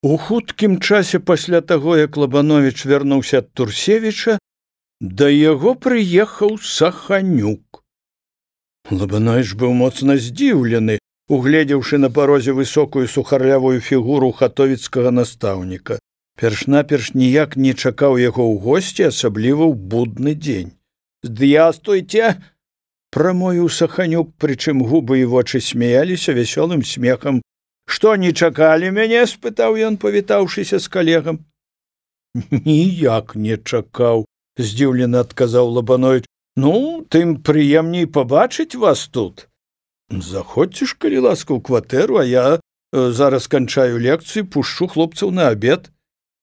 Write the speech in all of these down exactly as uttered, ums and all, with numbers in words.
У хуткім часе пасля таго, як Лабановіч вярнуўся ад Турсевіча, да яго прыехаў Саханюк. Лабановіч быў моцна здзіўлены, угледзеўшы на парозе высокую сухарлявую фігуру хатовіцкага настаўніка. Перш-наперш ніяк не чакаў яго ў госці, асабліва ў будны дзень. «Здравствуйте!» – прамовіў Саханюк, прычым губы і вочы смяяліся вясёлым смехам. «Што, не чакалі мяне?» – спытаў ён, павітаўшыся з калегам. «Ніяк не чакаў», – здзіўлена адказаў Лабановіч. «Ну, тым прыемней пабачыць вас тут. Заходзьце ж, калі ласка, ў кватэру, а я зараз канчаю лекцыю, пушчу хлопцаў на абед.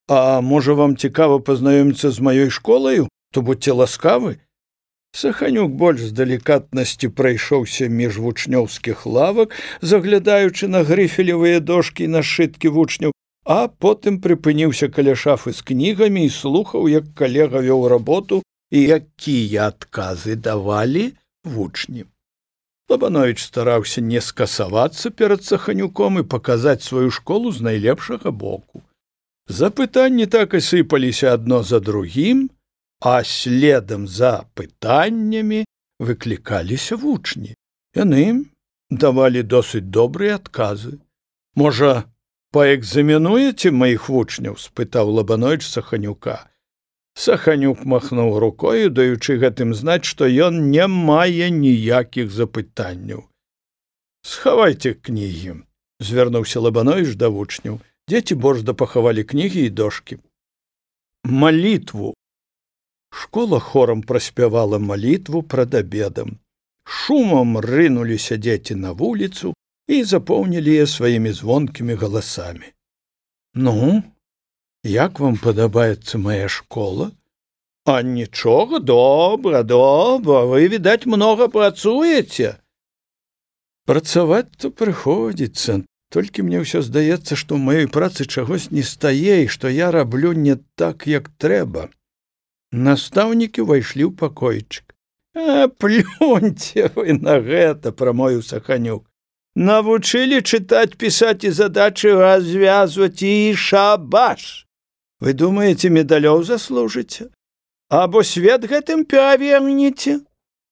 А можа, вам цікава пазнаёміцца з маёй школаю? То будьце ласкавы». Саханюк больш з далікатнасці прайшоўся між вучнёўскіх лавак, заглядаючы на грыфелевыя дошкі і нашыткі вучняў, а потым прыпыніўся каля шафы з кнігамі і слухаў, як калега вёў работу і якія адказы давалі вучні. Лабановіч стараўся не скасавацца перад Саханюком і паказаць сваю школу з найлепшага боку. Запытанні так і сыпаліся адно за другім, а следам за пытаннямі выклікаліся вучні. Яны давалі досыць добрыя адказы. «Можа, паэкзаменуеце маіх вучняў?» – спытаў Лабановіч Саханюка. Саханюк махнуў рукою, даючы гэтым знаць, што ён не мае ніякіх запытанняў. «Схавайце кнігі», – звярнуўся Лабановіч да вучняў. Дзеці борзда пахавалі кнігі і дошкі. «Малітву». Школа хорам праспявала малітву прад абедам. Шумам рынуліся дзеці на вуліцу і запоўнілі яе сваімі звонкімі галасамі. «Ну, як вам падабаецца моя школа?» «А нічога, добра, добра, вы, відаць, многа працуеце». «Працаваць-то прыходзіцца, толькі мне ўсё здаецца, што ў маёй працы чагось не стае і што я раблю не так, як трэба». Настаўнікі ўвайшлі ў пакойчык. «А, плюньце вы на гэта», – прамовіў Саханюк. «Навучылі чытаць, пісаць і задачы развязваць і шабаш. Вы думаеце, медалёў заслужыце? Або свет гэтым перавернеце?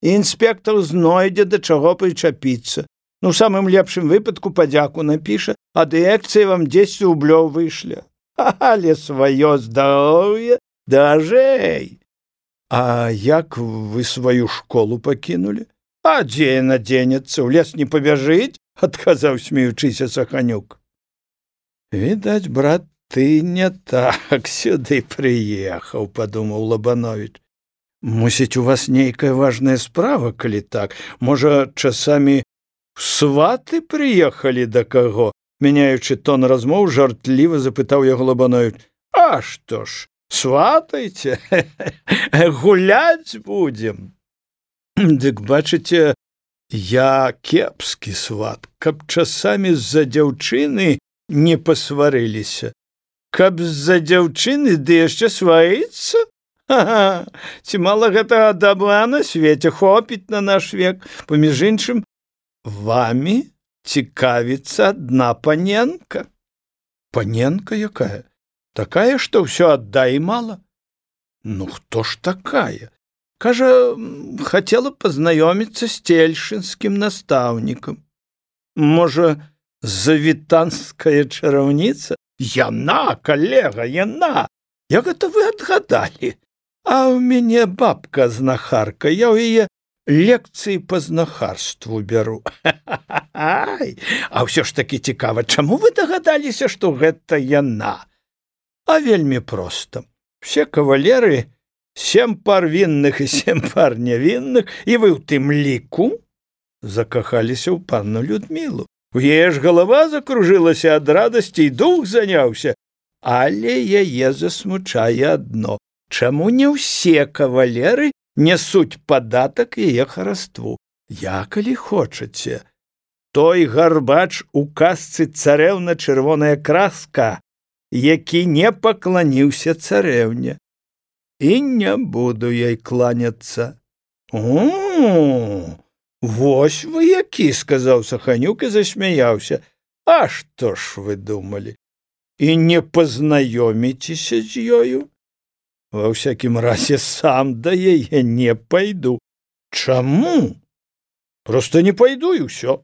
Інспектор знойдзе, да чаго прычапіцца. Ну, у самым лепшым выпадку падзяку напіша, а дырэкцыя вам дзесяць рублёў вышле. Але сваё здароўе дажэй». «А як вы сваю школу пакінулі?» «А дзе яна дзенецца? У лес не пабяжыць?» – адказаў, смеючыся Саханюк. «Відаць, брат, ты не так сюды прыехаў», – падумаў Лабановіч. «Мусіць, у вас нейкая важная справа, калі так? Можа, часамі сваты прыехалі да каго?» Мяняючы тон размоў, жартліва запытаў яго Лабановіч. «А што ж, сватайце, гуляць будзем». «Дык бачыце, я кепскі сват, каб часамі з-за дзяўчыны не пасварыліся. Каб з-за дзяўчыны ды яшчэ сварыцца? Ага, ці мала гэтага дабра на свеце, хопіць на наш век. Паміж іншым, вамі цікавіцца адна паненка». «Паненка якая? Такая, што ўсё аддай мала?» «Ну, хто ж такая?» «Кажа, хацела пазнаёміцца з цельшынскім настаўнікам». «Можа, завітанская чараўніца?» «Яна, калега, яна! Як гэта вы адгадалі? А ў мяне бабка знахарка, я ў яе лекцыі па знахарству бяру». «Ай, а ўсё ж такі цікава, чаму вы дагадаліся, што гэта яна?» «А вельмі проста. Все кавалеры, сем пар вінных і сем пар нявінных, і вы ў тым ліку закахаліся ў панну Людмілу. У яе ж галава закружылася ад радасці і дух заняўся. Але яе засмучае адно. Чаму не ўсе кавалеры нясуць падатак яе хараству? Я, калі хочаце, той гарбач у казцы «Царэўна чырвоная краска», які не пакланіўся царэўне. І не буду ёй кланяцца». «О, вось вы які», – сказаў Саханюк і засмяяўся. «А што ж вы думалі? і не пазнаёміцеся з ёю? Ва ўсякім разе сам да яе не пайду. Чаму? Проста не пайду і ўсё.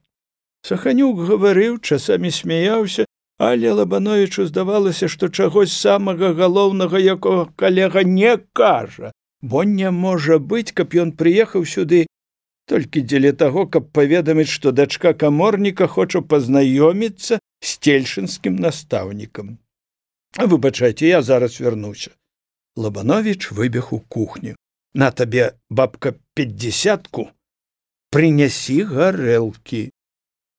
Саханюк гаварыў, часамі смяяўся, але Лабановічу здавалася, што чагось самага галоўнага, якога калега не кажа, бо не можа быць, каб ён прыехаў сюды толькі дзеля таго, каб паведаміць, што дачка каморніка хоча пазнаёміцца з цельшынскім настаўнікам. Выбачайце, я зараз вярнуся. Лабановіч выбег у кухню. На табе, бабка, пятьдесятку, прынясі гарэлкі.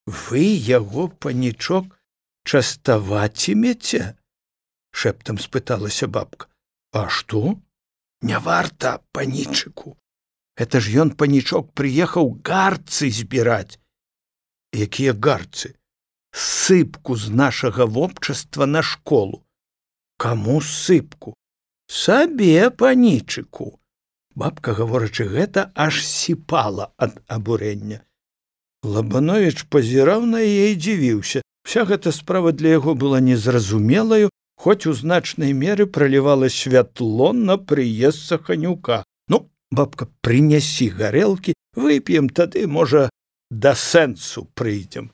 Вы яго, панічок, частавацімеце? Шэптам спыталася бабка. А што? Не варта, панічыку. Это ж ён, панічок, прыехаў гарцы збіраць. Якія гарцы? Сыпку з нашага вобчаства на школу. Каму сыпку? Сабе, панічыку. Бабка, гаворачы гэта, аж сіпала ад абурэння. Лабановіч пазіраў на яе і дзівіўся. Вся гэта справа для яго была незразумелаю, хоць у значнай меры пралівала святло на прыезд Саханюка. Ну, бабка, прынясі гарэлкі, вып'ем, тады, можа, да сэнсу прыйдзем.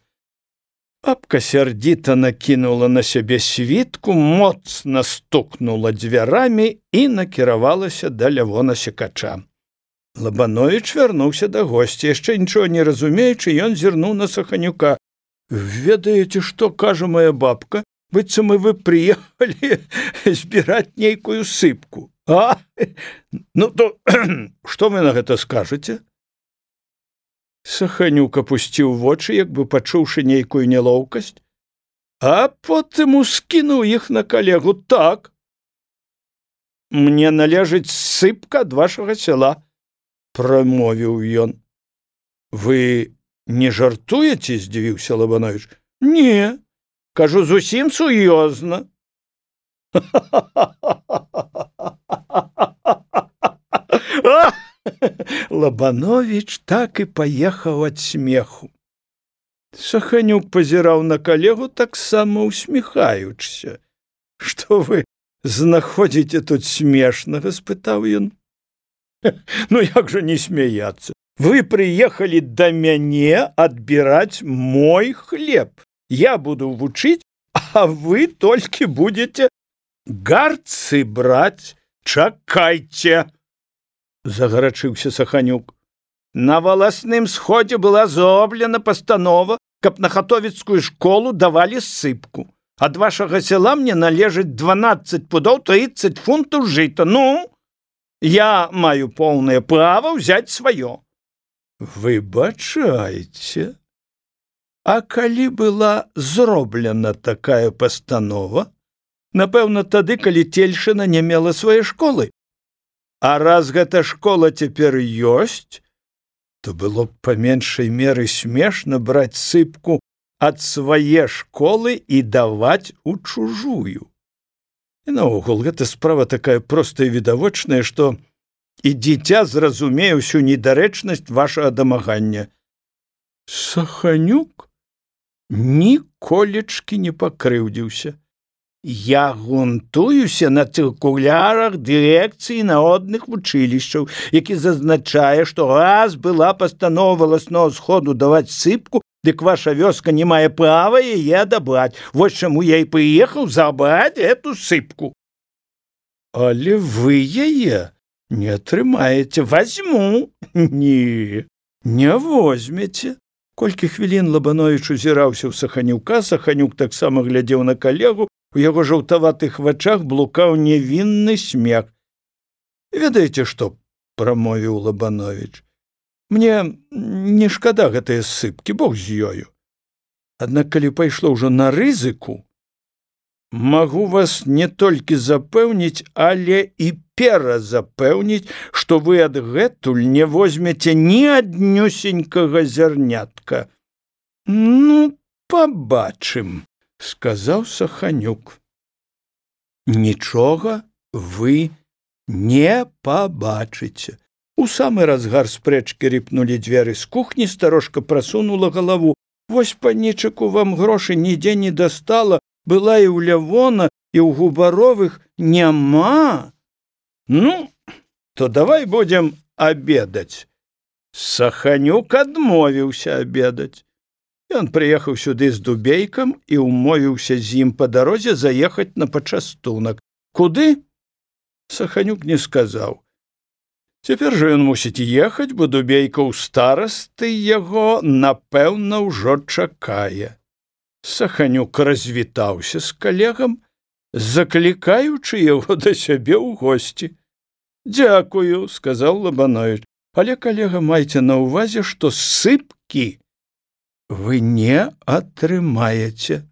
Бабка сярдзіта накінула на сябе світку, моцна стукнула дзвярамі і накіравалася да Лявона Секача. Лабановіч вярнуўся да госця, яшчэ нічога не разумеючы, ён зірнуў на Саханюка. Ведаеце, што кажа моя бабка? Быццам вы прыехалі збіраць нейкую сыпку. А? Ну, то што вы на гэта скажаце? Саханюк апусціў вочы, як бы пачуўшы нейкую нялоўкасць, а потым ускінуў іх на калегу. Так. Мне належыць сыпка ад вашага сяла, прамовіў ён. Вы не жартуеце, здзівіўся Лабановіч. Не, кажу зусім сур'ёзна. Лабановіч так і паехаў ад смеху. Саханюк пазіраў на калегу, таксама усміхаючыся. Што вы знаходзіце тут смешнага? Спытаў ён. Ну як жа не смяяцца? Вы прыехалі да мяне адбіраць мой хлеб. Я буду вучыць, а вы толькі будете гарцы браць. Чакайце! Загарачыўся Саханюк. На валасным сходзе была зроблена пастанова, каб на хатовіцкую школу давалі сыпку. Ад вашага сяла мне належыць дванаццаць пудоў трыццаць фунтаў жыта. Ну, я маю поўнае права ўзяць сваё. Выбачайце. А калі была зроблена такая пастанова? Напэўна, тады, калі Цельшына не мела свае школы. А раз гэта школа цяпер ёсць, то было б па меншай меры смешна браць сыпку ад свае школы і даваць у чужую. І наогул, гэта справа такая простая і відавочная, што і дзіця зразумее ўсю недарэчнасць вашага дамагання. Саханюк ніколечкі не пакрыўдзіўся. Я грунтуюся на цыркулярах дырэкцыі народных вучылішчаў, які зазначае, што раз была пастанова валаснога сходу даваць сыпку, дык ваша вёска не мае права яе адабраць. Вось чаму я і прыехаў забраць эту сыпку. Але вы яе не атрымаеце. Вазьму. Не, не возьмеце. Колькі хвілін Лабановіч узіраўся ў Саханюка, Саханюк таксама глядзеў на калегу, у яго жаўтаватых вачах блукаў невінны смех. Ведаеце што, прамовіў Лабановіч, мне не шкада гэтыя сыпкі, бог з ёю. Аднак калі пайшло ўжо на рызыку, магу вас не толькі запэўніць, але і перазапэўніць, што вы адгэтуль не возьмеце ні аднюсенькага зярнятка. Ну, пабачым, сказаў Саханюк. Нічога вы не пабачыце. У самы разгар спрэчкі рыпнулі дзверы з кухні, старожка прасунула галаву. Вось, панічыку, вам грошы нідзе не дастала, была і ў Лявона, і ў Губаровых няма. Ну, то давай будзем абедаць. Саханюк адмовіўся абедаць. Ён прыехаў сюды з Дубейкам і ўмовіўся з ім па дарозе заехаць на пачастунак. Куды? Саханюк не сказаў. Цяпер жа ён мусіць ехаць, бо Дубейка ў старасты яго, напэўна, ўжо чакае. Саханюк развітаўся з калегам, заклікаючы яго да сябе ў госці. «Дзякую», — сказаў Лабановіч, «але, калега, майце на ўвазе, што сыпкі вы не атрымаеце».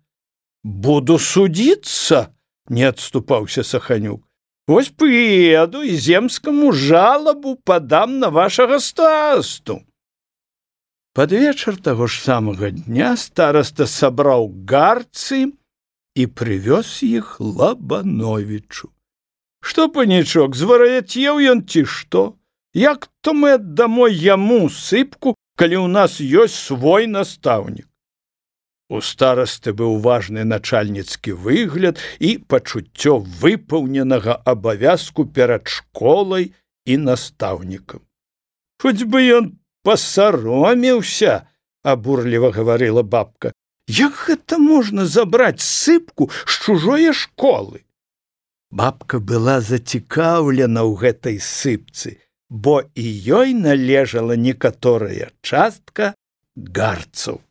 «Буду судзіцца», — не адступаўся Саханюк. «Вось прыеду і земскаму жалабу падам на вашага старасту». Пад вечар таго ж самага дня стараста сабраў гарцы і прывёз іх Лабановічу. «Што, панічок, звар'яцеў ён ці што? Як то мы аддамо яму сыпку, калі ў нас ёсць свой настаўнік?» У старасты быў важны начальніцкі выгляд і пачуццё выпаўненага абавязку перад школай і настаўнікам. «Хоць бы ён пасаромеўся», — абурліва гаварыла бабка. «Як гэта можна забраць сыпку з чужое школы?» Бабка была зацікаўлена ў гэтай сыпцы, бо і ёй належала некаторая частка гарцаў.